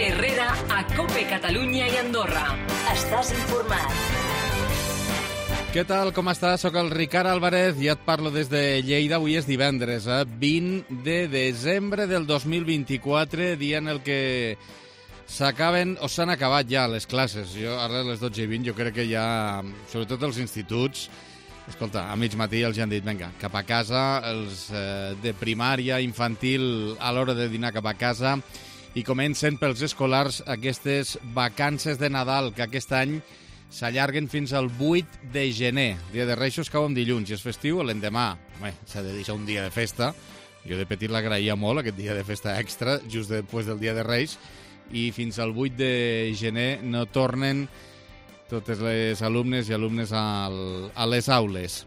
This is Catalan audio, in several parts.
Herrera a COPE Catalunya i Andorra. Estàs informat. Què tal, com estàs? Soc el Ricard Álvarez i et parlo des de Lleida. Avui és divendres, 20 de desembre del 2024, dia en el que s'acaben o s'han acabat ja les classes. Jo, ara a les 12:20, jo crec que ja, sobretot els instituts, escolta, a mig matí els han dit, vinga, cap a casa, els de primària, infantil, a l'hora de dinar cap a casa, i comencen pels escolars aquestes vacances de Nadal, que aquest any s'allarguen fins al 8 de gener. Dia de Reixos cau en dilluns i és festiu l'endemà. Home, s'ha de deixar un dia de festa. Jo de petit l'agraïa molt, aquest dia de festa extra, just després del dia de Reis, i fins al 8 de gener no tornen totes les alumnes i alumnes a les aules.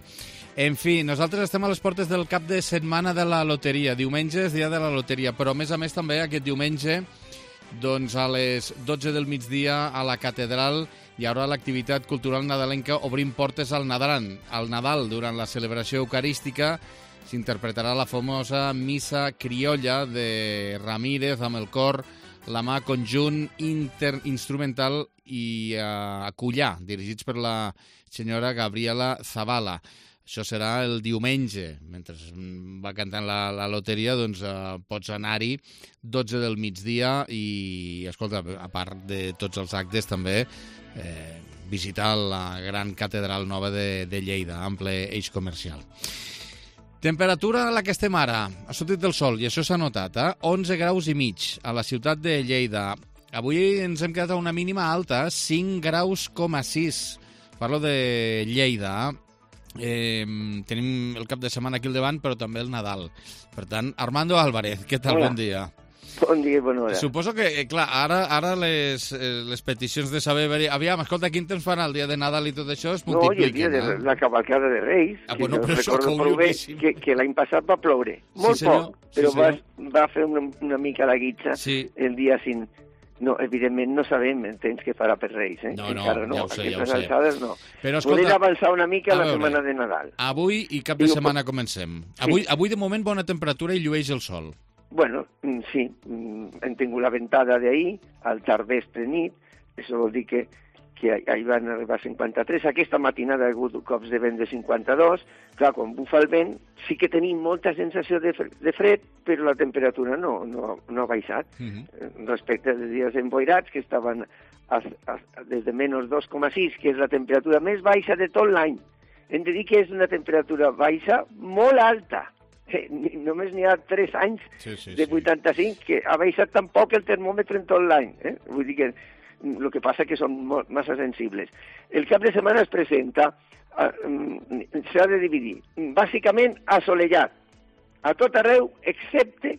En fi, nosaltres estem a les portes del cap de setmana de la loteria. Diumenge és dia de la loteria, però a més també aquest diumenge, doncs a les 12 del migdia a la catedral hi haurà l'activitat cultural nadalenca Obrim portes al Nadal. Al Nadal, durant la celebració eucarística, s'interpretarà la famosa missa criolla de Ramírez amb el cor La mà conjunt instrumental i Acullà, dirigits per la senyora Gabriela Zavala. Això serà el diumenge. Mentre va cantant la loteria, doncs pots anar-hi 12 del migdia i, escolta, a part de tots els actes, també visitar la gran catedral nova de Lleida, ample eix comercial. Temperatura a la que estem ara. Ha sortit el sol i això s'ha notat, 11 graus i mig a la ciutat de Lleida. Avui ens hem quedat a una mínima alta, 5 graus, 6. Parlo de Lleida. Tenim el cap de setmana aquí al davant, però també el Nadal. Per tant, Armando Álvarez, què tal? Hola. Bon dia. Bon dia i bona hora. Suposo que, clar, ara les peticions de saber... Aviam, escolta, quin temps farà el dia de Nadal i tot això es multipliquen. No, i el dia de la cavalcada de Reis, bueno, però això recordo prou bé que l'any passat va ploure. Molt poc, però va fer una mica la guitza el dia 5. No, evidentment no sabem el temps que farà per Reis, No, encara no, ja ho sé, aquestes alçades no. Però, escolta, volem avançar una mica la setmana de Nadal. Avui i cap de setmana comencem. Avui de moment bona temperatura i llueix el sol. Bueno, sí, hem tingut la ventada d'ahir, al tardvestre nit, això vol dir que ahir van arribar a 53, aquesta matinada ha hagut cops de vent de 52, clar, quan bufa el vent sí que tenim molta sensació de fred, però la temperatura no ha baixat. Respecte als dies emboirats, que estaven des de menys 2,6, que és la temperatura més baixa de tot l'any. Hem de dir que és una temperatura baixa molt alta. Només n'hi ha 3 anys de 85 que ha baixat tan poc el termòmetre en tot l'any. Vull dir que el que passa que són massa sensibles. El cap de setmana es presenta, s'ha de dividir, bàsicament assolellat, a tot arreu, excepte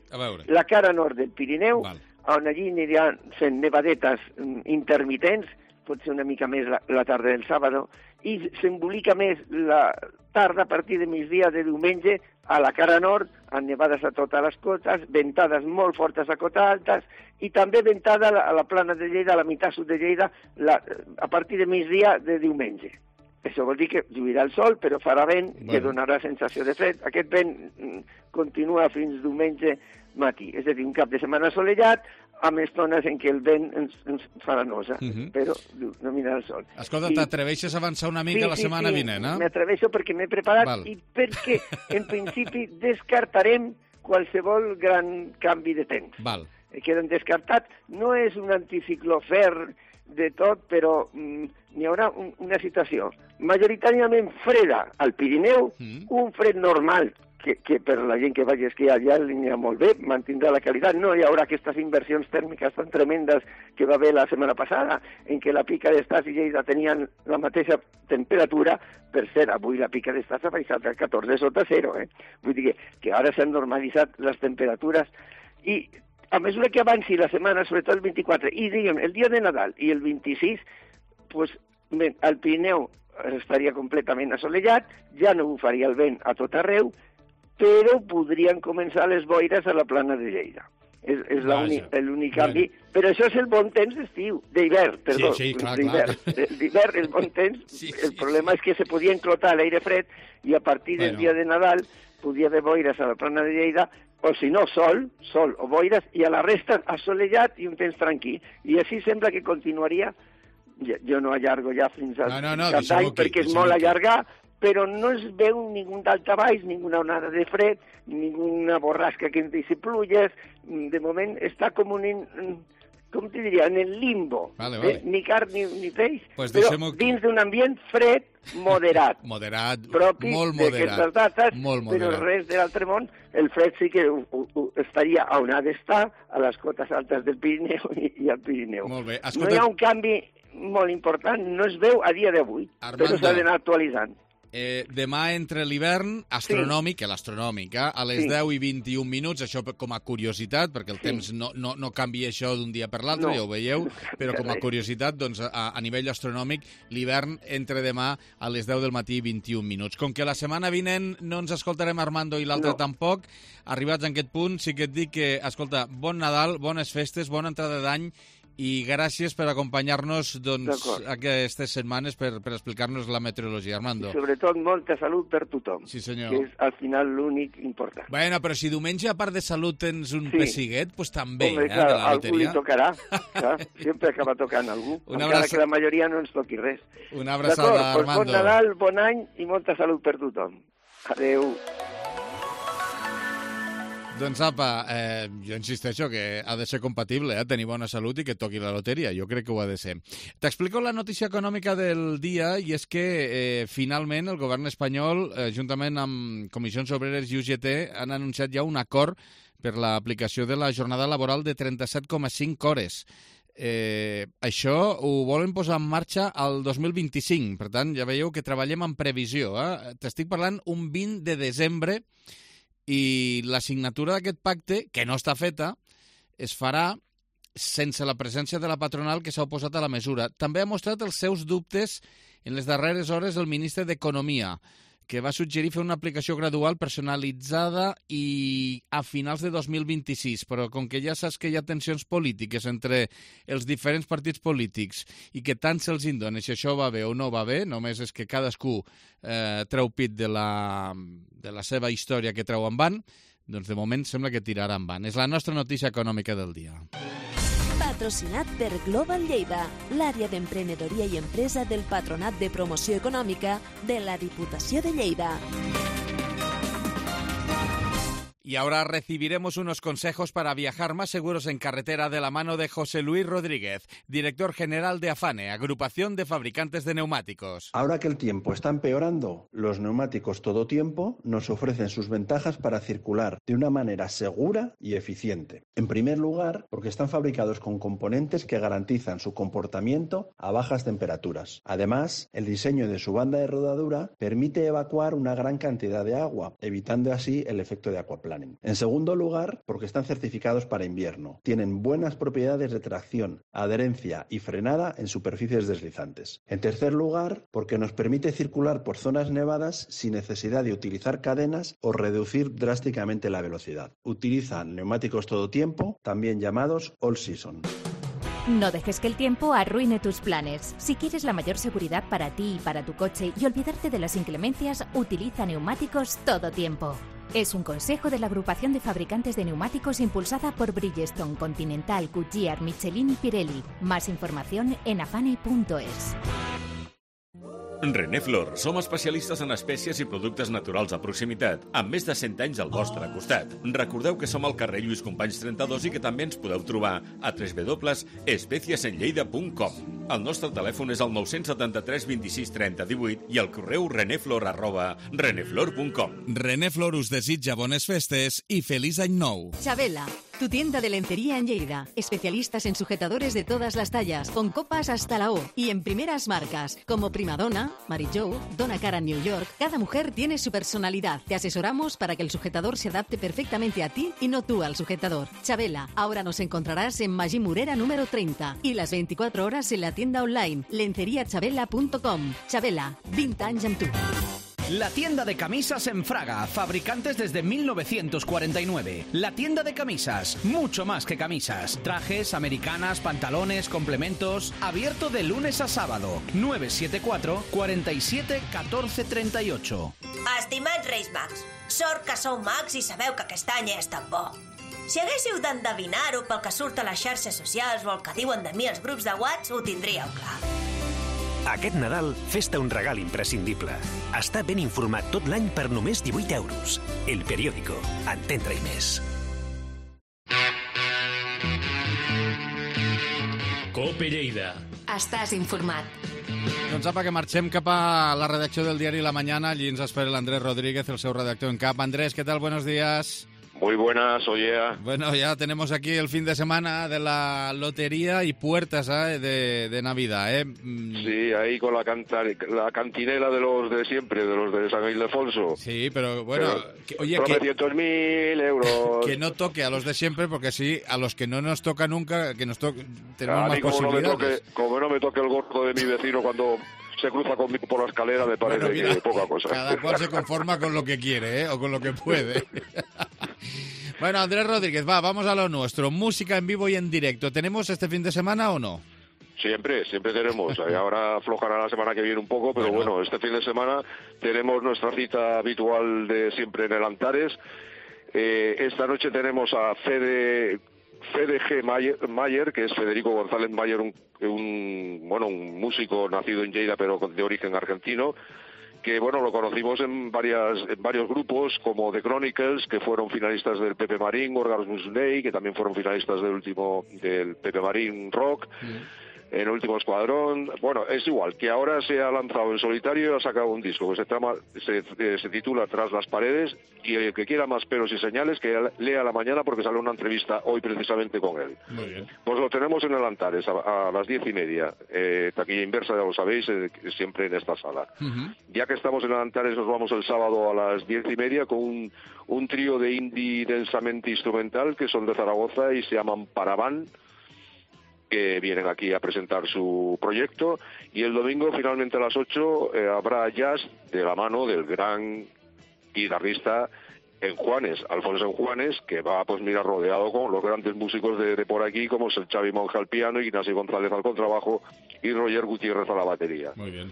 la cara nord del Pirineu, on allí aniran fent nevadetes intermitents, pot ser una mica més la tarda del sàbado, i s'embolica més la tarda a partir de migdia de diumenge a la cara nord, amb nevades a totes les cotes, ventades molt fortes a cotes altes, i també ventada a la plana de Lleida, a la meitat sud de Lleida, a partir de migdia de diumenge. Això vol dir que lluirà el sol, però farà vent que donarà sensació de fred. Aquest vent continua fins diumenge matí, és a dir, un cap de setmana assolellat, amb estones en què el vent ens farà nosa, però no mira el sol. Escolta, t'atreveixes a avançar una mica la setmana vinent, eh? M'atreveixo perquè m'he preparat i perquè, en principi, descartarem qualsevol gran canvi de temps. Queden descartats. No és un anticicló ferm de tot, però n'hi haurà una situació majoritàriament freda al Pirineu, un fred normal, que per la gent que vagi a esquiar allà li anirà molt bé, mantindrà la qualitat. No hi haurà aquestes inversions tèrmiques tan tremendes que va haver la setmana passada, en què la Pica d'Estàs i Lleida tenien la mateixa temperatura. Per cert, avui la Pica d'Estàs ha baixat a 14 sota 0. Vull dir que ara s'han normalitzat les temperatures i a mesura que avanci la setmana, sobretot el 24, i diguem, el dia de Nadal i el 26, pues, el Pirineu estaria completament assolellat, ja no bufaria el vent a tot arreu, però podrien començar les boires a la plana de Lleida. És l'únic canvi. Però això és el bon temps d'estiu, d'hivern, perdó. Sí, clar. D'hivern, el bon temps. El problema és que se podia enclotar l'aire fred i a partir del dia de Nadal podia haver boires a la plana de Lleida, o si no, sol o boires, i a la resta assolellat i un temps tranquil. I així sembla que continuaria. Jo no allargo ja fins al cap d'any perquè és molt allargar, però no es veu ningú daltabaix, ninguna onada de fred, ninguna borrasca que ens deixi pluges. De moment està com com te diria, en el limbo. Vale. Ni carn ni peix, pues però dins d'un ambient fred, moderat. Propi d'aquestes dates, però res de l'altre món. El fred sí que estaria on ha d'estar, a les cotes altes del Pirineu i al Pirineu. Molt bé. No hi ha un canvi molt important, no es veu a dia d'avui, però s'ha d'anar actualitzant. Demà entre l'hivern astronòmic, a les 10 i 21 minuts, això com a curiositat, perquè el temps no canvia això d'un dia per l'altre, ja ho veieu, però com a curiositat, doncs, a nivell astronòmic, l'hivern entre demà a les 10 del matí i 21 minuts. Com que la setmana vinent no ens escoltarem Armando i l'altre tampoc, arribats a aquest punt, sí que et dic que, escolta, bon Nadal, bones festes, bona entrada d'any, i gràcies per acompanyar-nos aquestes setmanes per explicar-nos la meteorologia, Armando. I sobretot molta salut per tothom, sí, senyor, que és al final l'únic important. Bueno, però si diumenge, a part de salut, tens un pessiguet, doncs també, de la loteria. Algú li tocarà, sempre acaba tocant algú, encara que la majoria no ens toqui res. Una abraçada, Armando. Bon Nadal, bon any i molta salut per tothom. Adéu. Doncs apa, jo insisteixo que ha de ser compatible, tenir bona salut i que toqui la loteria. Jo crec que ho ha de ser. T'explico la notícia econòmica del dia, i és que finalment el govern espanyol, juntament amb Comissions Obreres i UGT, han anunciat ja un acord per l'aplicació de la jornada laboral de 37,5 hores. Això ho volen posar en marxa al 2025, per tant, ja veieu que treballem en previsió. T'estic parlant un 20 de desembre, i la signatura d'aquest pacte, que no està feta, es farà sense la presència de la patronal que s'ha oposat a la mesura. També ha mostrat els seus dubtes en les darreres hores el ministre d'Economia, que va suggerir fer una aplicació gradual personalitzada i a finals de 2026, però com que ja saps que hi ha tensions polítiques entre els diferents partits polítics i que tant se'ls indona si això va bé o no va bé, només és que cadascú treu pit de la seva història que treu en van, doncs de moment sembla que tirarà en van. És la nostra notícia econòmica del dia. Patrocinat per Global Lleida, l'àrea d'emprenedoria i empresa del Patronat de Promoció Econòmica de la Diputació de Lleida. Y ahora recibiremos unos consejos para viajar más seguros en carretera de la mano de José Luis Rodríguez, director general de AFANE, Agrupación de Fabricantes de Neumáticos. Ahora que el tiempo está empeorando, los neumáticos todo tiempo nos ofrecen sus ventajas para circular de una manera segura y eficiente. En primer lugar, porque están fabricados con componentes que garantizan su comportamiento a bajas temperaturas. Además, el diseño de su banda de rodadura permite evacuar una gran cantidad de agua, evitando así el efecto de aquaplaning. En segundo lugar, porque están certificados para invierno. Tienen buenas propiedades de tracción, adherencia y frenada en superficies deslizantes. En tercer lugar, porque nos permite circular por zonas nevadas sin necesidad de utilizar cadenas o reducir drásticamente la velocidad. Utilizan neumáticos todo tiempo, también llamados all season. No dejes que el tiempo arruine tus planes. Si quieres la mayor seguridad para ti y para tu coche y olvidarte de las inclemencias, utiliza neumáticos todo tiempo. Es un consejo de la Agrupación de Fabricantes de Neumáticos impulsada por Bridgestone, Continental, Goodyear, Michelin y Pirelli. Más información en afane.es. Reneflor, som especialistes en espècies i productes naturals a proximitat, amb més de 100 anys al vostre costat. Recordeu que som al carrer Lluís Companys 32 i que també ens podeu trobar a www.especiesenlleida.com. El nostre telèfon és el 973 26 30 18 i el correu reneflor@reneflor.com. Reneflor us desitja bones festes y feliz año nou. Chabela, tu tienda de lencería en Lleida. Especialistas en sujetadores de todas las tallas, con copas hasta la O y en primeras marcas, como Primadonna, Mary Jo, Donna Karan New York. Cada mujer tiene su personalidad. Te asesoramos para que el sujetador se adapte perfectamente a ti y no tú al sujetador. Chabela, ahora nos encontrarás en Magí Morera número 30 y las 24 horas en la tienda online lenceriachabela.com. Chabela, 20 anys amb tu. La tienda de camisas en Fraga, fabricantes desde 1949. La tienda de camisas, mucho más que camisas. Trajes, americanas, pantalones, complementos. Abierto de lunes a sábado. 974 47 14 38. Estimats Reis Mags, sort que sou mags i sabeu que aquest any és tan bo. Si haguéssiu d'endevinar-ho pel que surt a les xarxes socials o el que diuen de mi els grups de WhatsApp, ho tindríeu clar. Aquest Nadal, fes-te un regal imprescindible. Està ben informat tot l'any per només 18 euros. El Periódico. Entendre i més. Cope Lleida. Estàs informat. Doncs apa, que marxem cap a la redacció del diari La Mañana. Allí ens espera l'Andrés Rodríguez, el seu redactor en cap. Andrés, ¿qué tal? Buenos días. Muy buenas, oye. Bueno, ya tenemos aquí el fin de semana de la lotería y puertas de Navidad, ¿eh? Sí, ahí con la cantinela de los de siempre, de los de San Ildefonso. Sí, pero bueno... oye, 900.000 euros. Que no toque a los de siempre, porque sí, a los que no nos toca nunca, que nos toque, tenemos más posibilidades. Como no me toque el gordo de mi vecino cuando se cruza conmigo por la escalera, me parece bueno, mira, que poca cosa. Cada cual se conforma con lo que quiere, ¿eh? O con lo que puede. Bueno, Andrés Rodríguez, vamos a lo nuestro. Música en vivo y en directo. ¿Tenemos este fin de semana o no? Siempre tenemos. Ahora aflojará la semana que viene un poco, pero bueno, este fin de semana tenemos nuestra cita habitual de siempre en el Antares. Esta noche tenemos a Fede G. Mayer, que es Federico González Mayer, un músico nacido en Lleida, pero de origen argentino, que bueno, lo conocimos en varios grupos como The Chronicles, que fueron finalistas del Pepe Marín, Orgasmus Day, que también fueron finalistas del Pepe Marín Rock, en el último escuadrón. Bueno, es igual, que ahora se ha lanzado en solitario y ha sacado un disco que se titula Tras las paredes, y el que quiera más pelos y señales que lea La Mañana, porque sale una entrevista hoy precisamente con él. Muy bien. Pues lo tenemos en el Antares a las 10:30, taquilla inversa, ya lo sabéis, siempre en esta sala. Ya que estamos en el Antares, nos vamos el sábado a las 10:30 con un trío de indie densamente instrumental que son de Zaragoza y se llaman Paravan, que vienen aquí a presentar su proyecto, y el domingo finalmente a las 8 habrá jazz de la mano del gran guitarrista Enjuanes, Alfonso Enjuanes, que va pues mira rodeado con los grandes músicos de por aquí, como es el Xavi Monge al piano, Ignacio González al contrabajo y Roger Gutiérrez a la batería. Muy bien.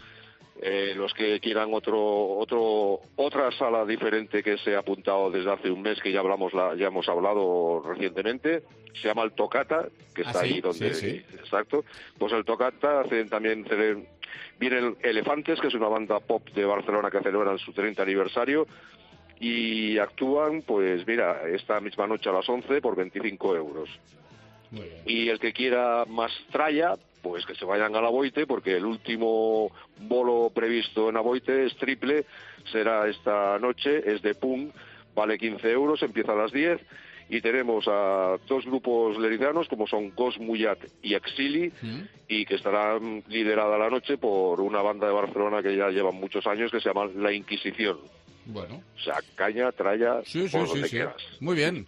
Los que quieran otra sala diferente que se ha apuntado desde hace un mes, que ya hemos hablado recientemente, se llama el Tocata, que está ahí donde... Sí. Exacto. Pues el Tocata vienen Elefantes, que es una banda pop de Barcelona que celebran su 30 aniversario, y actúan, pues mira, esta misma noche a las 11 por 25 euros. Muy bien. Y el que quiera más tralla, pues que se vayan a la Boite, porque el último bolo previsto en Aboite es triple, será esta noche, es de punk, vale 15 euros, empieza a las 10, y tenemos a dos grupos lerizanos como son Ghost Muyat y Exili, y que estarán liderada la noche por una banda de Barcelona que ya llevan muchos años, que se llama La Inquisición. Bueno. O sea, caña, tralla, por donde quieras. Muy bien.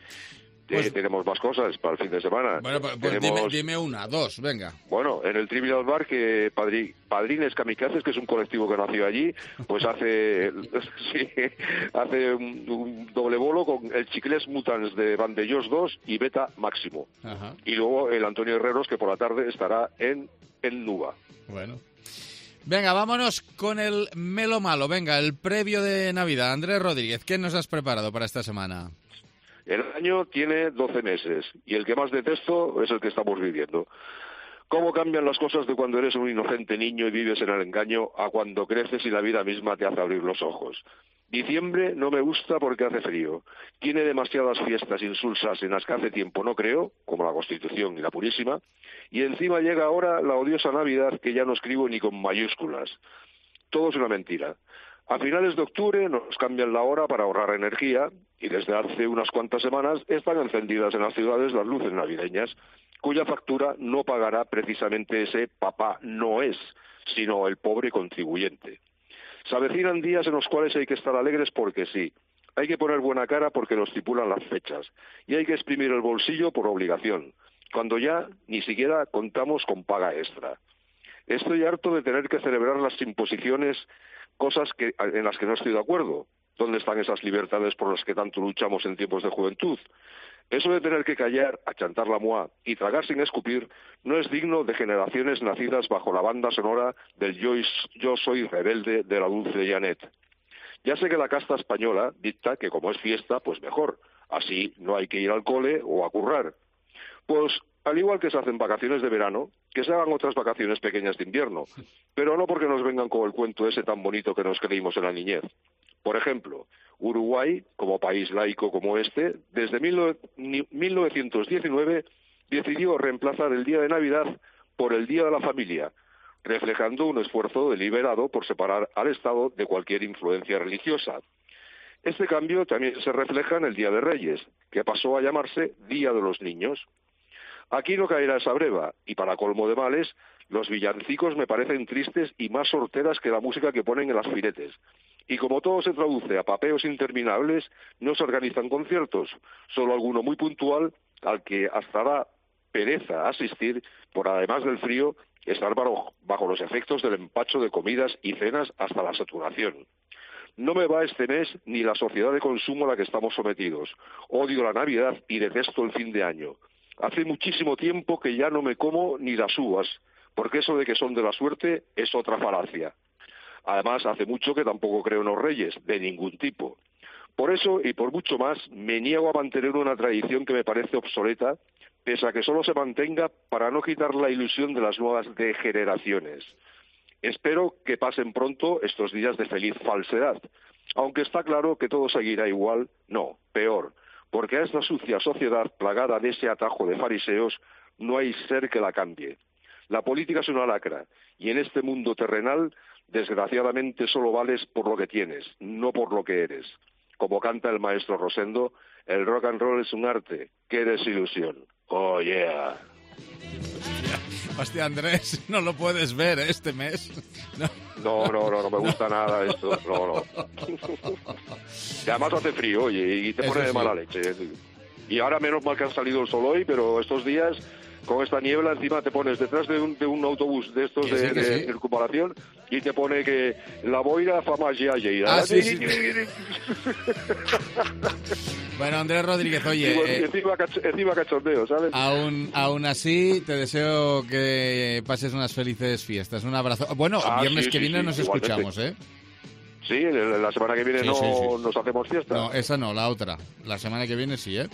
Pues... tenemos más cosas para el fin de semana. Bueno, pues dime una, dos, venga. Bueno, en el Trivial Bar, que Padrines Kamikazes, que es un colectivo que nació allí, pues hace un doble bolo con el Chiclés Mutants de Vandellos 2 y Beta Máximo. Ajá. Y luego el Antonio Herreros, que por la tarde estará en Nuba. Bueno. Venga, vámonos con el Melo Malo. Venga, el previo de Navidad. Andrés Rodríguez, ¿qué nos has preparado para esta semana? El año tiene 12 meses y el que más detesto es el que estamos viviendo. ¿Cómo cambian las cosas de cuando eres un inocente niño y vives en el engaño a cuando creces y la vida misma te hace abrir los ojos? Diciembre no me gusta porque hace frío. Tiene demasiadas fiestas insulsas en las que hace tiempo no creo, como la Constitución y la Purísima, y encima llega ahora la odiosa Navidad que ya no escribo ni con mayúsculas. Todo es una mentira. A finales de octubre nos cambian la hora para ahorrar energía y desde hace unas cuantas semanas están encendidas en las ciudades las luces navideñas, cuya factura no pagará precisamente ese Papá Noel, sino el pobre contribuyente. Se avecinan días en los cuales hay que estar alegres porque sí, hay que poner buena cara porque lo estipulan las fechas y hay que exprimir el bolsillo por obligación, cuando ya ni siquiera contamos con paga extra. Estoy harto de tener que celebrar las imposiciones cosas en las que no estoy de acuerdo. ¿Dónde están esas libertades por las que tanto luchamos en tiempos de juventud? Eso de tener que callar, achantar la moa y tragar sin escupir no es digno de generaciones nacidas bajo la banda sonora del Yo soy rebelde de la dulce Janet. Ya sé que la casta española dicta que como es fiesta, pues mejor. Así no hay que ir al cole o a currar. Pues al igual que se hacen vacaciones de verano, que se hagan otras vacaciones pequeñas de invierno, pero no porque nos vengan con el cuento ese tan bonito que nos creímos en la niñez. Por ejemplo, Uruguay, como país laico como este, desde 1919 decidió reemplazar el día de Navidad por el Día de la Familia, reflejando un esfuerzo deliberado por separar al Estado de cualquier influencia religiosa. Este cambio también se refleja en el Día de Reyes, que pasó a llamarse Día de los Niños. Aquí no caerá esa breva, y para colmo de males, los villancicos me parecen tristes y más sorteras que la música que ponen en las firetes. Y como todo se traduce a papeos interminables, no se organizan conciertos, solo alguno muy puntual al que hasta da pereza asistir por, además del frío, estar bajo los efectos del empacho de comidas y cenas hasta la saturación. No me va este mes ni la sociedad de consumo a la que estamos sometidos. Odio la Navidad y detesto el fin de año. Hace muchísimo tiempo que ya no me como ni las uvas, porque eso de que son de la suerte es otra falacia. Además, hace mucho que tampoco creo en los reyes, de ningún tipo. Por eso, y por mucho más, me niego a mantener una tradición que me parece obsoleta, pese a que solo se mantenga para no quitar la ilusión de las nuevas degeneraciones. Espero que pasen pronto estos días de feliz falsedad, aunque está claro que todo seguirá igual, no, peor, porque a esta sucia sociedad plagada de ese atajo de fariseos no hay ser que la cambie. La política es una lacra, y en este mundo terrenal, desgraciadamente solo vales por lo que tienes, no por lo que eres. Como canta el maestro Rosendo, el rock and roll es un arte, qué desilusión. Oh yeah. Hostia, Andrés, no lo puedes ver este mes. No me gusta nada esto. No. Y además hace frío, oye, y te pone de mala leche. Y ahora menos mal que ha salido el sol hoy, pero estos días, con esta niebla, encima te pones detrás de un autobús de estos de circunvalación y te pone que la boira fa magia lleida. Ah, sí. Bueno, Andrés Rodríguez, oye... encima cachondeo, ¿sabes? Aún así, te deseo que pases unas felices fiestas. Un abrazo. Bueno, viernes que viene nos escuchamos, ¿eh? Sí, la semana que viene nos hacemos fiesta. No, esa no, la otra. La semana que viene sí, ¿eh?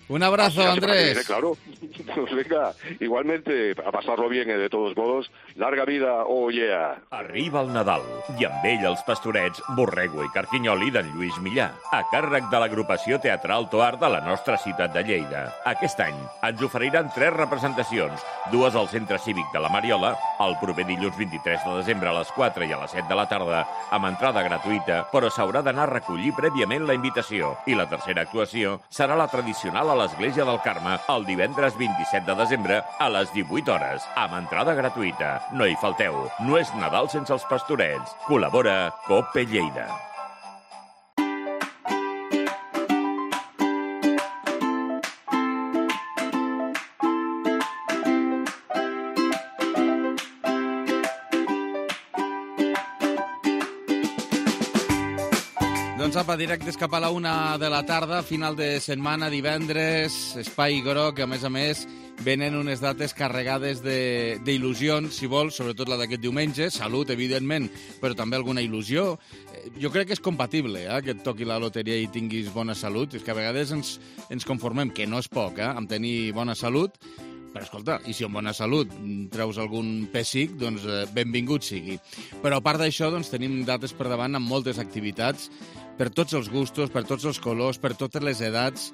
Un abrazo, Andrés. Viene, claro. Pues venga, igualmente, a pasar-lo bien, de todos modos. Larga vida, oh yeah. Arriba el Nadal, i amb ell els pastorets Borrego i Carquinyoli d'en Lluís Millà, a càrrec de l'agrupació teatral Toar de la nostra ciutat de Lleida. Aquest any ens oferiran 3 representacions, 2 al Centre Cívic de la Mariola, el proper dilluns 23 de desembre a les 4 i a les 7 de la tarda, amb entrada gratuïta, però s'haurà d'anar a recollir prèviament la invitació. I la tercera actuació serà la tradicional a l'Església del Carme el divendres 27 de desembre a les 18 hores, amb entrada gratuïta. No hi falteu, no és Nadal sense els pastorets. Col·labora Cope Lleida. Doncs apa, directes cap a la 1 de la tarda, final de setmana, divendres, Espai Groc, a més, venen unes dates carregades d'il·lusions, si vols, sobretot la d'aquest diumenge, salut, evidentment, però també alguna il·lusió. Jo crec que és compatible, que et toqui la loteria i tinguis bona salut. És que a vegades ens conformem, que no és poc, amb tenir bona salut, però escolta, i si amb bona salut treus algun pessic, doncs benvingut sigui. Però a part d'això, doncs tenim dates per davant amb moltes activitats, per tots els gustos, per tots els colors, per totes les edats,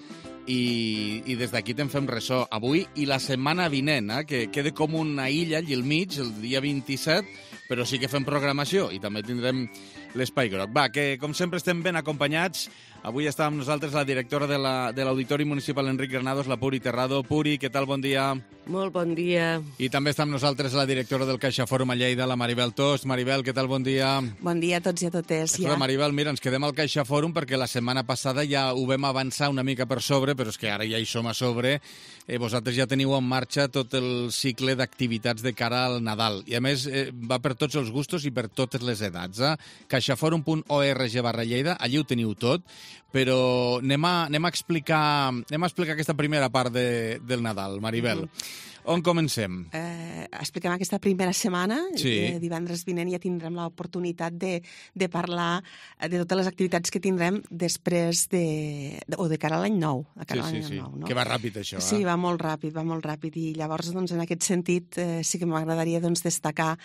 i des d'aquí te'n fem ressò avui i la setmana vinent, que queda com una illa allà al mig, el dia 27, però sí que fem programació i també tindrem l'Espai Groc. Va, que com sempre estem ben acompanyats. Avui està amb nosaltres la directora de l'Auditori Municipal Enric Granados, la Puri Terrado. Puri, què tal? Bon dia. Molt bon dia. I també està amb nosaltres la directora del Caixa Fòrum a Lleida, la Maribel Tost. Maribel, què tal? Bon dia. Bon dia a tots i a totes. Maribel, mira, ens quedem al Caixa Fòrum perquè la setmana passada ja ho vam avançar una mica per sobre, però és que ara ja hi som a sobre. Vosaltres ja teniu en marxa tot el cicle d'activitats de cara al Nadal. I a més va per tots els gustos i per totes les edats. caixaforum.org/Lleida, allí ho teniu tot, però anem a explicar aquesta primera part del Nadal, Maribel. On comencem? Expliquem aquesta primera setmana. Sí. Divendres vinent ja tindrem l'oportunitat de parlar de totes les activitats que tindrem després o de cara a l'any nou. Sí. Nou, no? Que va ràpid, això. Sí, va molt ràpid. I llavors, doncs, en aquest sentit, sí que m'agradaria destacar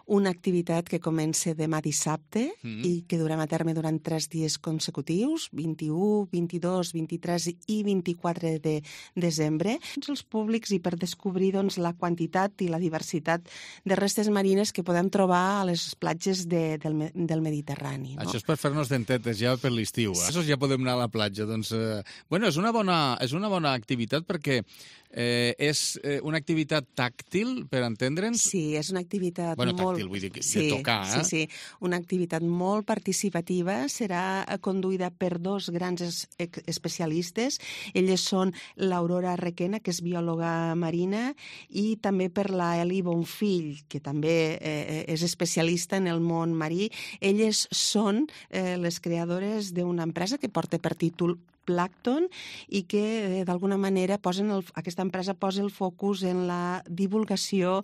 una activitat que comença demà dissabte i que durem a terme durant 3 dies consecutius, 21, 22, 23 i 24 de desembre. Tots els públics i per descobrir la quantitat i la diversitat de restes marines que podem trobar a les platges del Mediterrani. No? Això és per fer-nos dentetes ja per l'estiu. Ja podem anar a la platja. Doncs, és una bona activitat perquè és una activitat tàctil, per entendre'ns? Sí, és una activitat tàctil, vull dir, de tocar. Sí, una activitat molt participativa. Serà conduïda per 2 grans especialistes. Elles són l'Aurora Requena, que és biòloga marina, i també per la Eli Bonfill, que també és especialista en el món marí. Elles són les creadores d'una empresa que porta per títol Plàncton i que d'alguna manera aquesta empresa posa el focus en la divulgació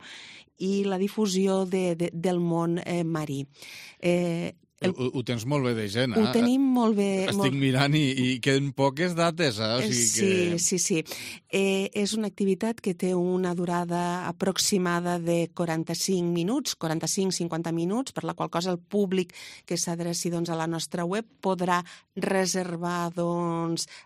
i la difusió del món marí. Ho tens molt bé de gent, Ho tenim molt bé. Estic mirant i queden poques dates, O sigui Sí. És una activitat que té una durada aproximada de 45 minuts, 45-50 minuts, per la qual cosa el públic que s'adreci a la nostra web podrà reservar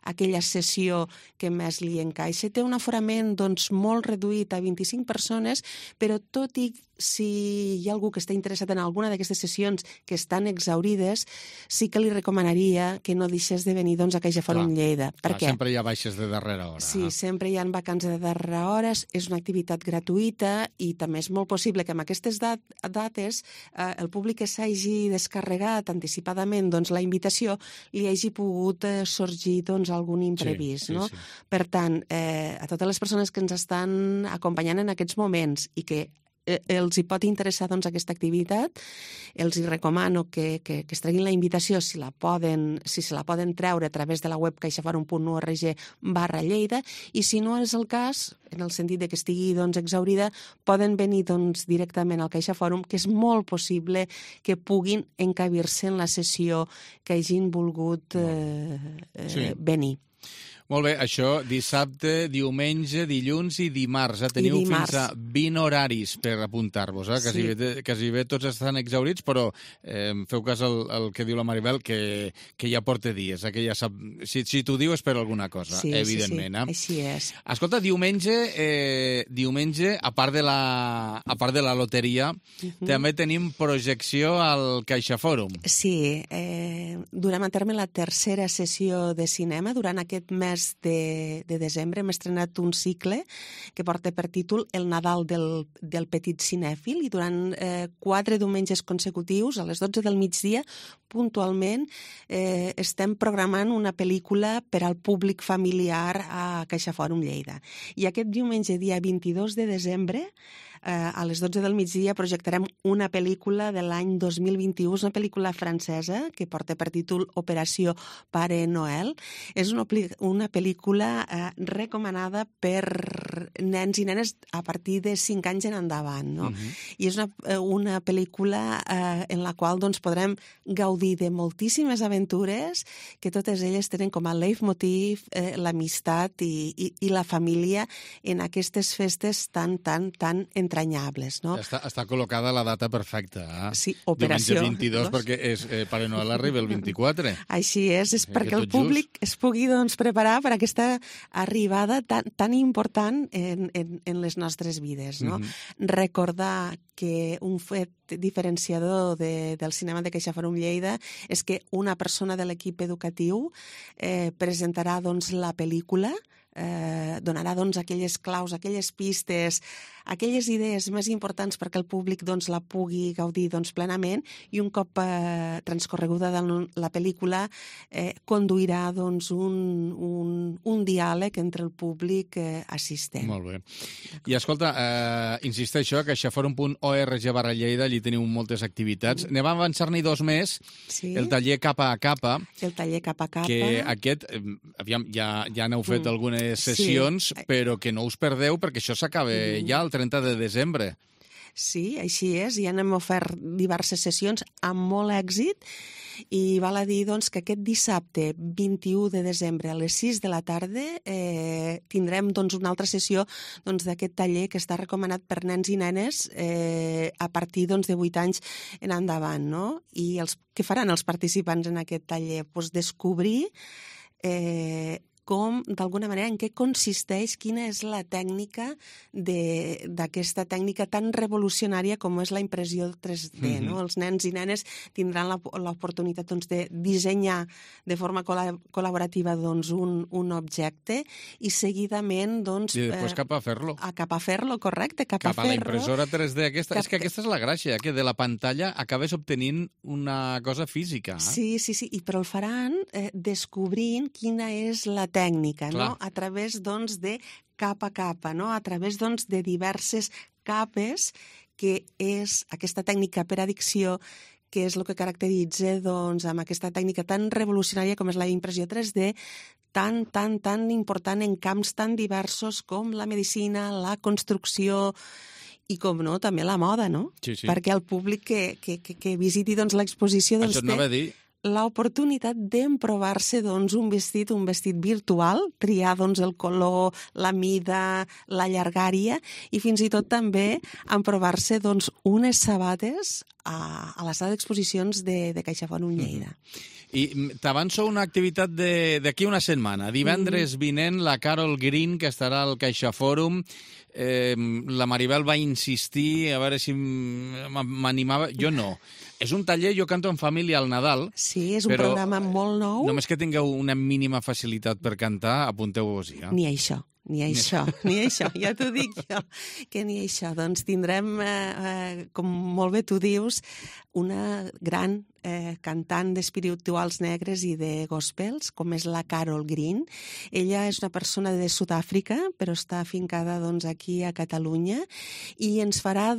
aquella sessió que més li encaixa. Té un aforament molt reduït a 25 persones, però tot i si hi ha algú que està interessat en alguna d'aquestes sessions que estan exaurides, sí que li recomanaria que no deixés de venir a Caixa Fòrum Lleida. Per què? Sempre hi ha baixes de darrera hora. Sí, sempre hi ha vacants de darrera hora, és una activitat gratuïta i també és molt possible que amb aquestes dates el públic que s'hagi descarregat anticipadament la invitació li hagi pogut sorgir algun imprevist. No? Per tant, a totes les persones que ens estan acompanyant en aquests moments i que els hi pot interessar aquesta activitat, els hi recomano que es treguin la invitació si se la poden treure a través de la web caixaforum.org/Lleida i si no és el cas, en el sentit que estigui exaurida, poden venir directament al Caixa Fòrum, que és molt possible que puguin encabir-se en la sessió que hagin volgut venir. Molt bé, això dissabte, diumenge, dilluns i dimarts. Teniu fins a 20 horaris per apuntar-vos. Quasi bé tots estan exaurits, però feu cas al que diu la Maribel, que ja porta dies, que ja sap... Si t'ho diu és per alguna cosa, evidentment. Així és. Escolta, diumenge, a part de la loteria, també tenim projecció al Caixa Fòrum. Sí, durem a terme la tercera sessió de cinema durant aquest mes de desembre. Hem estrenat un cicle que porta per títol El Nadal del petit cinèfil i durant 4 diumenges consecutius, a les 12 del migdia, puntualment, estem programant una pel·lícula per al públic familiar a Caixa Fòrum Lleida. I aquest diumenge, dia 22 de desembre, a les 12 del migdia projectarem una pel·lícula de l'any 2021, una pel·lícula francesa que porta per títol Operació Pare Noel. És una pel·lícula recomanada per nens i nenes a partir de 5 anys en endavant. No? I és una pel·lícula en la qual podrem gaudir de moltíssimes aventures que totes elles tenen com a leitmotiv l'amistat i la família en aquestes festes tan entranyables, no? Està col·locada la data perfecta. Sí, operació. Diumenge 22, perquè Pare Noel arriba el 24. Així és perquè el públic es pugui preparar per aquesta arribada tan important en les nostres vides, no? Recordar que un fet diferenciador del cinema de CaixaForum Lleida és que una persona de l'equip educatiu presentarà la pel·lícula, donarà aquelles claus, aquelles pistes, aquelles idees més importants perquè el públic la pugui gaudir plenament, i un cop transcorreguda la pel·lícula conduirà un diàleg entre el públic assistent. Molt bé. I escolta, insisteixo, que xaforum.org/Lleida, allí teniu moltes activitats. Anem a avançar-n'hi 2 més. El taller Capa a Capa. El taller Capa a Capa. Que aquest, aviam, ja n'heu fet algunes sessions, però que no us perdeu perquè això s'acaba ja el 30 de desembre. Sí, així és. Ja n'hem ofert diverses sessions amb molt èxit i val a dir que aquest dissabte 21 de desembre a les 6 de la tarda tindrem una altra sessió d'aquest taller que està recomanat per nens i nenes a partir de 8 anys en endavant, no? I què faran els participants en aquest taller? Descobrir d'alguna manera, en què consisteix, quina és la tècnica d'aquesta tècnica tan revolucionària com és la impressió 3D. No? Els nens i nenes tindran l'oportunitat de dissenyar de forma col·laborativa un objecte i seguidament... I després cap a fer-lo. Cap a fer-lo, correcte, cap a fer-lo. Cap a la impressora 3D aquesta. És que aquesta és la gràcia, que de la pantalla acabes obtenint una cosa física. Sí, i però el faran descobrint quina és la tècnica, no? A través de capa a capa, no? A través de diverses capes, que és aquesta tècnica per addicció, que és el que caracteritza amb aquesta tècnica tan revolucionària com és la impressió 3D, tan important en camps tan diversos com la medicina, la construcció i, com no, també la moda, no? Sí. Perquè el públic que visiti l'exposició això anava a dir l'oportunitat d'emprovar-se un vestit virtual, triar el color, la mida, la llargària i fins i tot també emprovar-se unes sabates a la sala d'exposicions de CaixaForum Lleida. I t'avanço una activitat d'aquí una setmana. Divendres vinent la Carol Green, que estarà al CaixaForum. La Maribel va insistir a veure si m'animava. Jo no. És un taller, jo canto en família al Nadal. Sí, és un programa molt nou. Només que tingueu una mínima facilitat per cantar, apunteu-vos-hi. Ni això, ja t'ho dic jo, que ni això. Tindrem, com molt bé tu dius, una gran cantant d'espirituals negres i de gospels, com és la Carol Green. Ella és una persona de Sud-àfrica, però està afincada aquí a Catalunya, i ens farà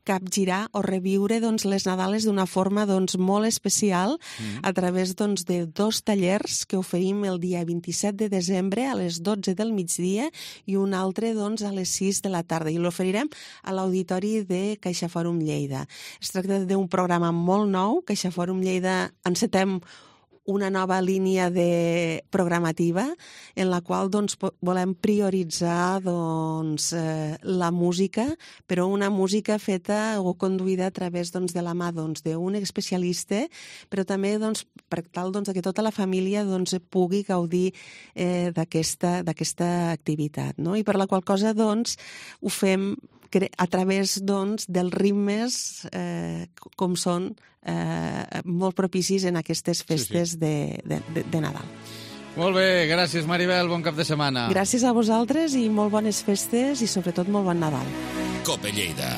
capgirar o reviure les Nadales d'una forma molt especial a través de 2 tallers que oferim el dia 27 de desembre a les 12 del migdia i un altre a les 6 de la tarda, i l'oferirem a l'auditori de CaixaForum Lleida. Es tracta d'un programa molt nou. CaixaForum Lleida encetem una nova línia programativa en la qual volem prioritzar la música, però una música feta o conduïda a través de la mà d'un especialista, però també per tal que tota la família pugui gaudir d'aquesta activitat. I per la qual cosa ho fem a través dels ritmes com són molt propicis en aquestes festes de Nadal. Molt bé, gràcies Maribel, bon cap de setmana. Gràcies a vosaltres i molt bones festes i sobretot molt bon Nadal. Cope Lleida.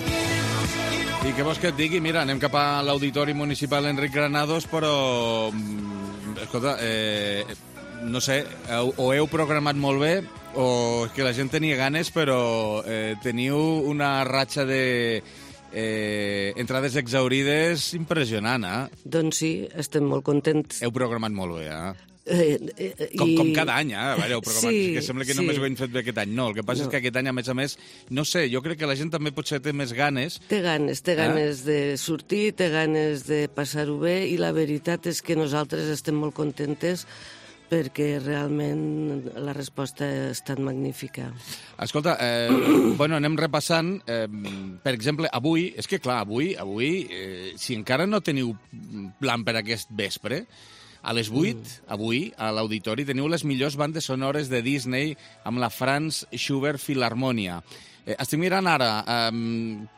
I què vols que et digui? Mira, anem cap a l'Auditori Municipal Enric Granados, però escolta, no sé, o heu programat molt bé o és que la gent tenia ganes, però teniu una ratxa de entrades exaurides impressionant, Doncs sí, estem molt contents. Heu programat molt bé, com cada any, a veure, heu programat, que sembla que només ho hem fet bé aquest any. No, el que passa és que aquest any, a més, no sé, jo crec que la gent també potser té més ganes. Té ganes de sortir, té ganes de passar-ho bé, i la veritat és que nosaltres estem molt contentes perquè realment la resposta ha estat magnífica. Escolta, anem repassant, per exemple, avui, és que clar, avui, si encara no teniu plan per aquest vespre, a les 8, avui, a l'Auditori, teniu les millors bandes sonores de Disney amb la Franz Schubert Philharmonia. Estic mirant ara,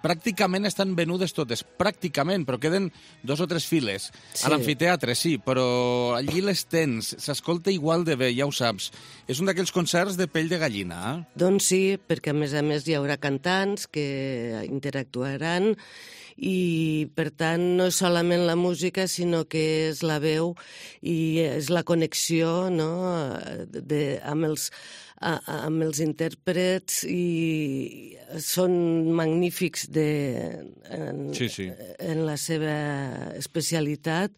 pràcticament estan venudes totes, pràcticament, però queden 2 o 3 files. Sí. A l'amfiteatre, sí, però allí les tens, s'escolta igual de bé, ja ho saps. És un d'aquells concerts de pell de gallina, eh? Doncs sí, perquè a més hi haurà cantants que interactuaran i, per tant, no és solament la música, sinó que és la veu i és la connexió, no?, amb els intèrprets, i són magnífics en la seva especialitat,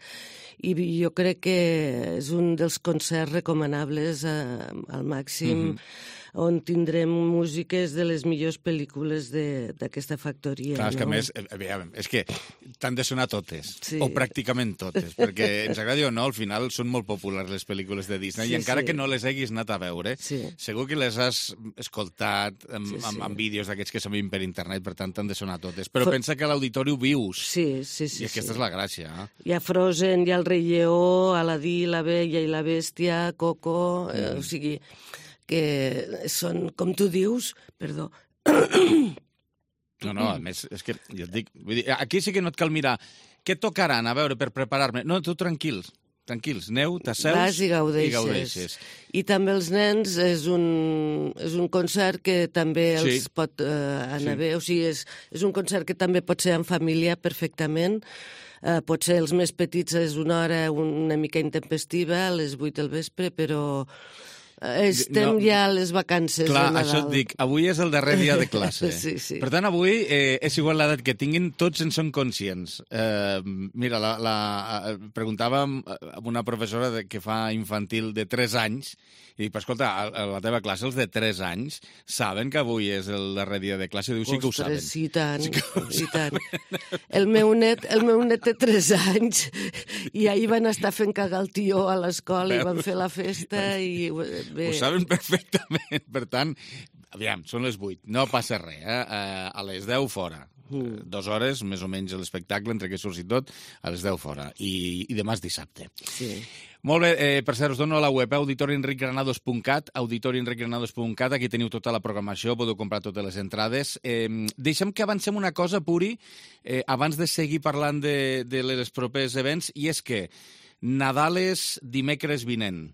i jo crec que és un dels concerts recomanables al màxim, on tindrem músiques de les millors pel·lícules d'aquesta factoria. Clar, és que a més, és que t'han de sonar totes, o pràcticament totes, perquè ens agradi o no, al final són molt populars les pel·lícules de Disney, i encara que no les haguis anat a veure, segur que les has escoltat amb vídeos d'aquests que s'han vist per internet, per tant t'han de sonar totes. Però pensa que a l'auditori ho vius. Sí. I aquesta és la gràcia. Hi ha Frozen, hi ha el Rei Lleó, Aladí, la Bella i la Bèstia, Coco, o sigui que són, com tu dius, perdó. No, a més, és que jo et dic, vull dir, aquí sí que no et cal mirar què tocaran, a veure, per preparar-me. No, tu tranquils, neu, t'asseus vas i gaudeixes. I també els nens és un concert que també els pot anar bé, o sigui, és un concert que també pot ser en família perfectament. Potser els més petits és una hora una mica intempestiva, a les 8 del vespre, però estem ja a les vacances de Nadal. Clar, això et dic, avui és el darrer dia de classe. Sí. Per tant, avui és igual l'edat que tinguin, tots en són conscients. Mira, preguntàvem a una professora que fa infantil de 3 anys, i dic, però escolta, a la teva classe els de 3 anys saben que avui és el darrer dia de classe? Diu, sí que ho saben. Ostres, i tant. El meu net té 3 anys i ahir van estar fent cagar el tió a l'escola i van fer la festa i... Ho saben perfectament. Per tant, aviam, són les 8, no passa res, a les 10 fora. 2 hores, més o menys, l'espectacle, entre que surts i tot, a les 10 fora. I demà és dissabte. Sí. Molt bé, per cert, us dono la web, auditorienricgranados.cat, auditorienricgranados.cat, aquí teniu tota la programació, podeu comprar totes les entrades. Deixem que avancem una cosa, Puri, abans de seguir parlant de les propers events, i és que Nadal és dimecres vinent.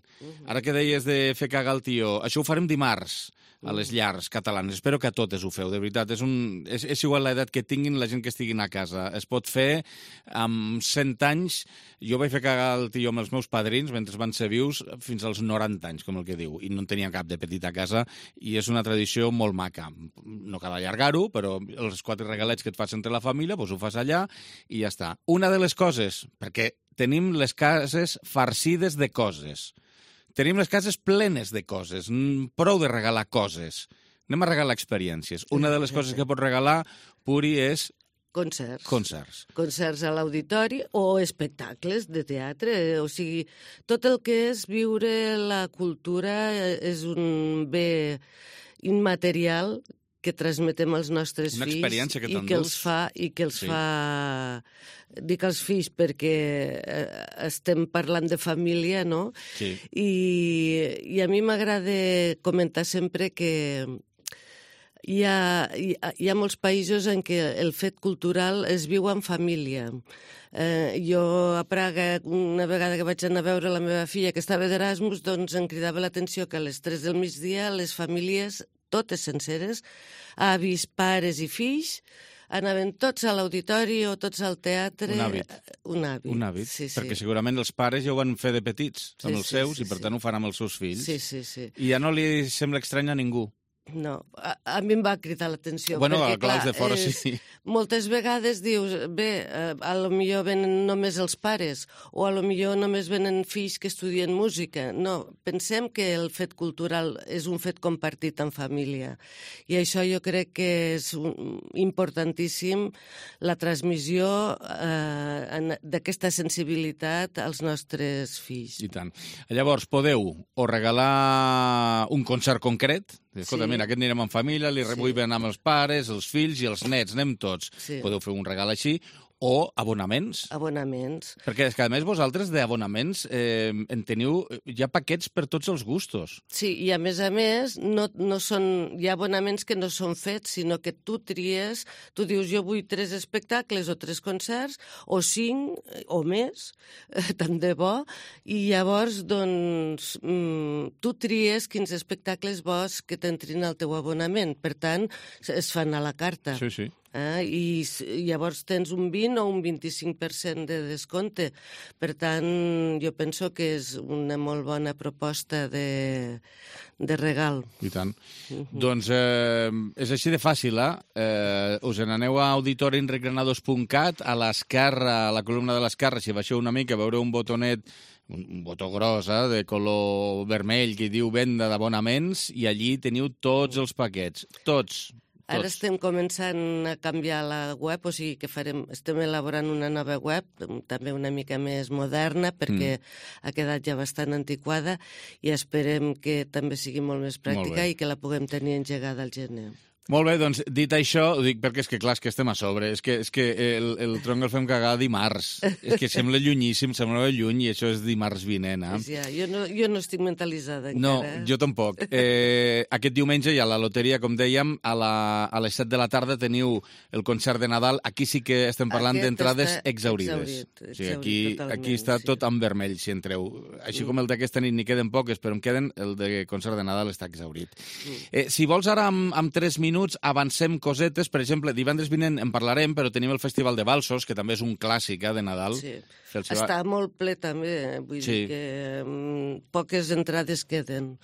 Ara que deies de fer cagar el tió, això ho farem dimarts a les llars catalanes. Espero que a totes ho feu, de veritat. És igual l'edat que tinguin la gent que estiguin a casa. Es pot fer amb 100 anys. Jo vaig fer cagar el tió amb els meus padrins mentre van ser vius fins als 90 anys, com el que diu, i no en tenia cap de petit a casa, i és una tradició molt maca. No cal allargar-ho, però els 4 regalets que et fas entre la família, doncs ho fas allà i ja està. Una de les coses, perquè tenim les cases farcides de coses. Tenim les cases plenes de coses. Prou de regalar coses. Anem a regalar experiències. Una de les coses que pots regalar, Puri, és... Concerts. Concerts a l'auditori o espectacles de teatre. O sigui, tot el que és viure la cultura és un bé immaterial que transmetem als nostres fills. Una experiència que t'endús. I que els fa... Dic als fills perquè estem parlant de família, no? Sí. I a mi m'agrada comentar sempre que hi ha molts països en què el fet cultural es viu en família. Jo a Praga, una vegada que vaig anar a veure la meva filla que estava d'Erasmus, doncs em cridava l'atenció que a les 3 del migdia les famílies, totes senceres, avis, pares i fills, anaven tots a l'auditori o tots al teatre. Un hàbit, sí. Perquè segurament els pares ja ho van fer de petits amb els seus i per tant ho faran amb els seus fills. Sí. I ja no li sembla estrany a ningú. No, a mi em va cridar l'atenció. Bueno, perquè, clar, els de fora sí. Moltes vegades dius, bé, a lo millor venen només els pares, o a lo millor només venen fills que estudien música. No, pensem que el fet cultural és un fet compartit en família. I això jo crec que és importantíssim, la transmissió d'aquesta sensibilitat als nostres fills. I tant. Llavors, podeu o regalar un concert concret. Escolta, mira, aquest anirem en família, vull anar amb els pares, els fills i els nets, anem tots. Podeu fer un regal així, o abonaments. Abonaments. Perquè és que, a més, vosaltres d'abonaments en teniu ja paquets per tots els gustos. Sí, i a més, no són, hi ha abonaments que no són fets, sinó que tu tries, tu dius, jo vull 3 espectacles o 3 concerts, o 5 o més, tant de bo, i llavors, doncs, tu tries quins espectacles vols que t'entrin al teu abonament. Per tant, es fan a la carta. Sí, sí. I llavors tens un 20 o un 25% de descompte. Per tant, jo penso que és una molt bona proposta de regal. I tant. Doncs és així de fàcil, us n'aneu a auditorienregranados.cat, a l'esquerra, a la columna de l'esquerra, si baixeu una mica, veureu un botonet, un botó gros, de color vermell, que diu venda d'abonaments, i allí teniu tots els paquets, tots. Ara estem començant a canviar la web, o sigui que estem elaborant una nova web, també una mica més moderna, perquè ha quedat ja bastant antiquada, i esperem que també sigui molt més pràctica i que la puguem tenir engegada al gener. Molt bé, doncs, dit això, ho dic perquè és que, clar, és que estem a sobre. És que el tronc el fem cagar dimarts. És que sembla llunyíssim, sembla lluny, i això és dimarts vinent. Ja, jo no estic mentalitzada encara. No, jo tampoc. Aquest diumenge hi ha la loteria, com dèiem, a les 7 de la tarda teniu el concert de Nadal. Aquí sí que estem parlant d'entrades exaurides. O sigui, aquí està tot en vermell, si entreu. Així com el d'aquesta nit n'hi queden poques, però en queden, el de concert de Nadal està exaurit. Si vols ara, amb 3 minuts, avancem cosetes. Per exemple, divendres vinent en parlarem, però tenim el Festival de Valsos, que també és un clàssic de Nadal. Sí. Està molt ple també, vull dir que poques entrades queden.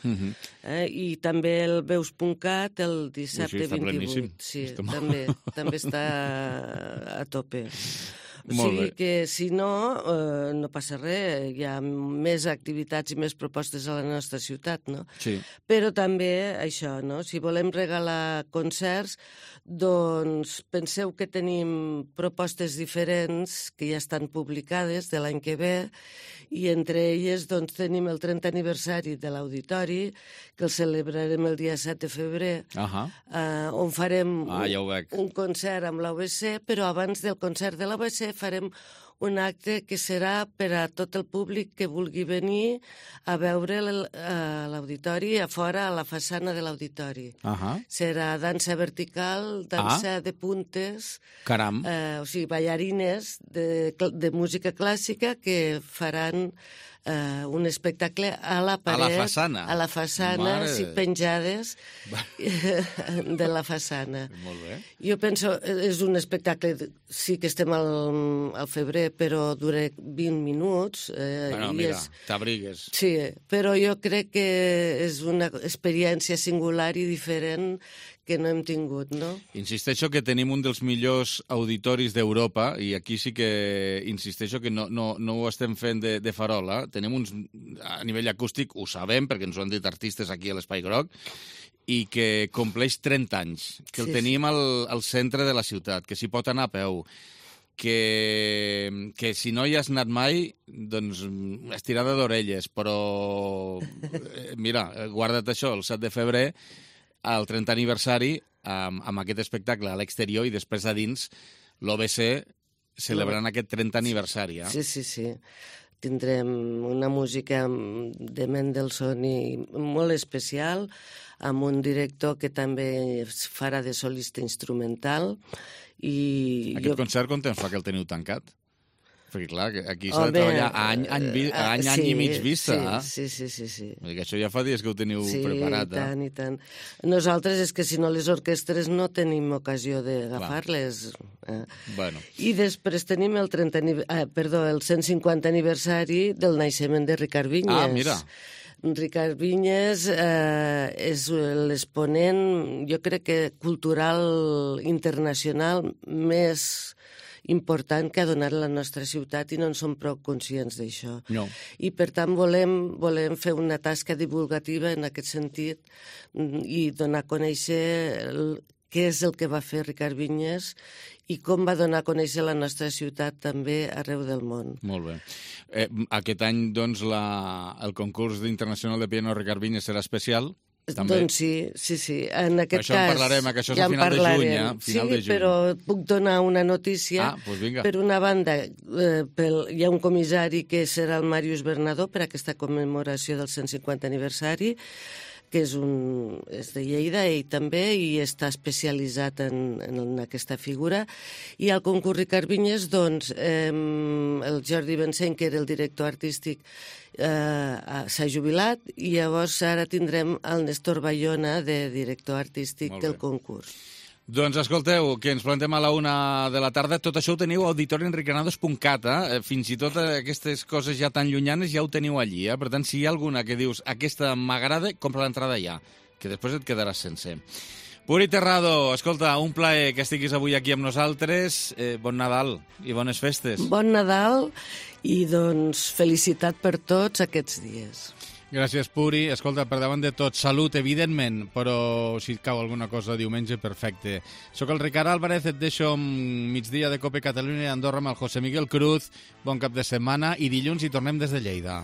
I també el veus.cat el dissabte 28. Sí, també està a tope. O sigui que, si no, no passa res, hi ha més activitats i més propostes a la nostra ciutat, no? Sí. Però també això, no? Si volem regalar concerts, doncs penseu que tenim propostes diferents que ja estan publicades de l'any que ve, i entre elles doncs, tenim el 30 aniversari de l'Auditori, que el celebrarem el dia 7 de febrer, on farem un concert amb l'AVC, però abans del concert de l'AVC farem un acte que serà per a tot el públic que vulgui venir a veure l'auditori a fora, a la façana de l'auditori. Serà dansa vertical, dansa de puntes, o sigui, ballarines de música clàssica que faran un espectacle a la paret, a la façana, sí, penjades de la façana. Molt bé. Jo penso, és un espectacle, sí que estem al febrer, però dura 20 minuts. Bueno, mira, t'abrigues. Sí, però jo crec que és una experiència singular i diferent que no hem tingut, no? Insisteixo que tenim un dels millors auditoris d'Europa, i aquí sí que insisteixo que no ho estem fent de farola. Tenim uns, a nivell acústic, ho sabem, perquè ens ho han dit artistes aquí a l'Espai Groc, i que compleix 30 anys, que el tenim al centre de la ciutat, que s'hi pot anar a peu, que si no hi has anat mai, doncs estirada d'orelles, però mira, guarda't això, el 7 de febrer, al 30 aniversari, amb aquest espectacle a l'exterior, i després a dins l'OBC celebrant aquest 30 aniversari. Sí. Tindrem una música de Mendelssohn molt especial, amb un director que també farà de solista instrumental. Aquest concert, com temps fa que el teniu tancat? Perquè, clar, aquí s'ha de treballar any i mig vista. Sí. Perquè això ja fa dies que ho teniu preparat. I tant. Nosaltres és que si no les orquestres no tenim ocasió d'agafar-les. I després tenim el 150 aniversari del naixement de Ricard Vinyes. Mira. Ricard Vinyes és l'exponent, jo crec que cultural internacional més important que ha donat la nostra ciutat i no en som prou conscients d'això. No. I per tant volem fer una tasca divulgativa en aquest sentit i donar a conèixer què és el que va fer Ricard Vinyes i com va donar a conèixer la nostra ciutat també arreu del món. Molt bé. Aquest any, doncs, el concurs internacional de piano Ricard Vinyes serà especial? També. Doncs sí. En aquest això en parlarem, que això és a final de juny, final de juny. Però puc donar una notícia. Doncs vinga. Per una banda, hi ha un comissari que serà el Màrius Bernadó per aquesta commemoració del 150 aniversari, que és de Lleida, ell també, i està especialitzat en aquesta figura. I al concurs Ricard Vinyes, doncs, el Jordi Benseny, que era el director artístic, s'ha jubilat, i llavors ara tindrem el Néstor Bayona de director artístic del concurs. Doncs escolteu, que ens plantem a la 1 de la tarda. Tot això ho teniu a auditorienriquerados.cat. Fins i tot aquestes coses ja tan llunyanes ja ho teniu allí. Per tant, si hi ha alguna que dius aquesta m'agrada, compra l'entrada ja, que després et quedaràs sense. Puri Terrado, escolta, un plaer que estiguis avui aquí amb nosaltres. Bon Nadal i bones festes. Bon Nadal i, doncs, felicitat per tots aquests dies. Gràcies, Puri. Escolta, per davant de tot, salut, evidentment, però si et cau alguna cosa diumenge, perfecte. Soc el Ricard Álvarez, et deixo migdia de Cope Catalunya i Andorra amb el José Miguel Cruz. Bon cap de setmana i dilluns hi tornem des de Lleida.